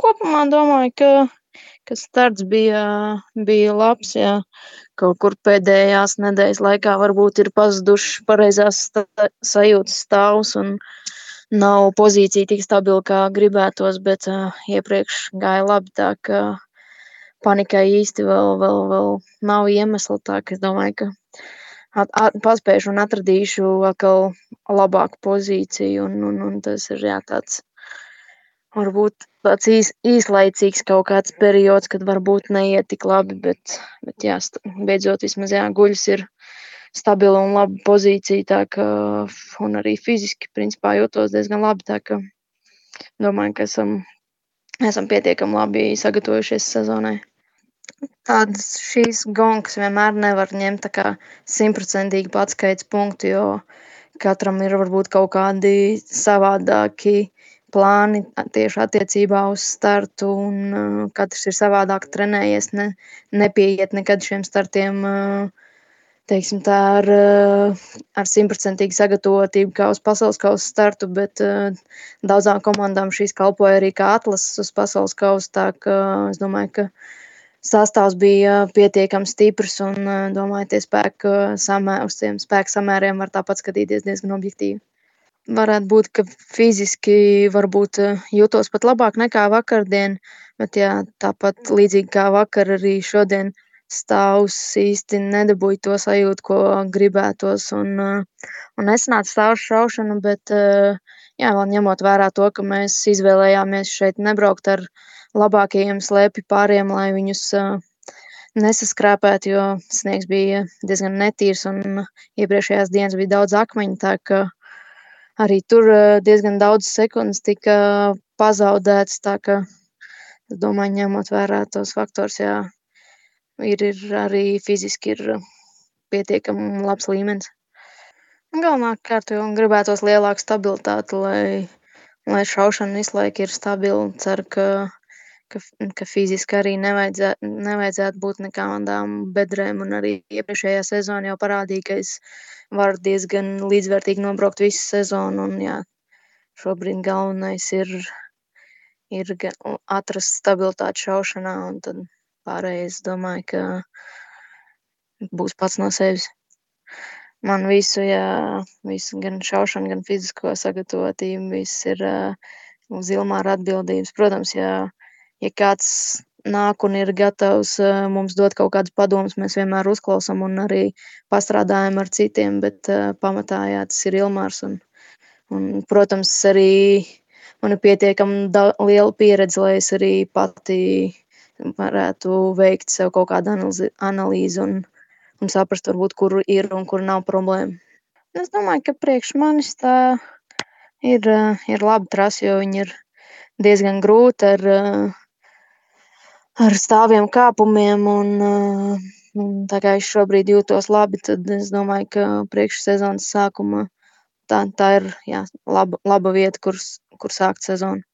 kopumā domāju, ka starts bija labs, jā. Kaut kur pēdējās nedēļas laikā varbūt ir pazudušas pareizās sajūtas stāvs un nav pozīcija tik stabila, kā gribētos, bet iepriekš gāja labi, tā ka panikai īsti vēl nav iemesla, tā ka es domāju, ka paspēšu un atradīšu atkal labāku pozīciju, un tas ir, jā, tāds varbūt tāds īslaicīgs kaut kāds periods, kad varbūt neiet tik labi, bet jā, beidzot vismaz, jā, guļus ir stabila un laba pozīcija, tā ka, un arī fiziski, principā, jūtos diezgan labi, tā ka domāju, ka esam pietiekami labi sagatavojušies sezonai. Tādas šīs gonkas vienmēr nevar ņemt tā kā 100% atskaites punktu, jo katram ir varbūt kaut kādi savādāki plāni tieši attiecībā uz startu, un katrs ir savādāk trenējies, nepieiet nekad šiem startiem, teiksim tā, ar 100% sagatavotību kā uz pasaules kausa startu, bet daudzām komandām šīs kalpoja arī kā atlases uz pasaules kausu, tā ka es domāju, ka sastāvs bija pietiekami stiprs, un domāju, uz tiem spēku samēriem var tāpat skatīties diezgan objektīvi. Varētu būt, ka fiziski varbūt jūtos pat labāk nekā vakardien, bet jā, tāpat līdzīgi kā vakar, arī šodien stāvs īsti nedabūja to sajūtu, ko gribētos, un nesanāca stāvs šaušana, bet jā, vēl ņemot vērā to, ka mēs izvēlējāmies šeit nebraukt ar labākajiem slēpju pāriem, lai viņus nesaskrāpētu, jo sniegs bija diezgan netīrs, un iepriekšējās dienas bija daudz akmeņu, tā ka arī tur diezgan daudz sekundes tika pazaudētas, tā ka es domāju, ņemot vērā tos faktors, jā, ir arī fiziski ir pietiekami labs līmenis. Galvenokārt jau gribētos lielāku stabilitāti, lai šaušana visu laiku ir stabila. Ceru, ka fiziski arī nevajadzētu būt nekādām bedrēm, un arī iepriekšējā sezona jau parādīja, ka es varu diezgan līdzvērtīgi nobraukt visu sezonu, un jā, šobrīd galvenais ir atrast stabilitāti šaušanā, un tad pārējais, domāju, ka būs pats no sevis. Man visu gan šaušanu, gan fizisko sagatavotību, viss ir uz Ilmāra atbildības. Protams, ja kāds nāk un ir gatavs mums dot kaut kādus padomus, mēs vienmēr uzklausām un arī pastrādājam ar citiem, bet pamatā, jā, tas ir Ilmārs, un protams, arī man ir pietiekami liela pieredze, lai es arī pati varētu veikt sev kaut kādu analīzi un saprast, varbūt, kur ir un kur nav problēma. Es domāju, ka priekš manis tā ir laba trase, jo viņa ir diezgan grūta ar stāviem kāpumiem, un tā kā es šobrīd jūtos labi, tad es domāju, ka priekš sezonas sākuma tā ir, jā, laba vieta, kur sākt sezonu.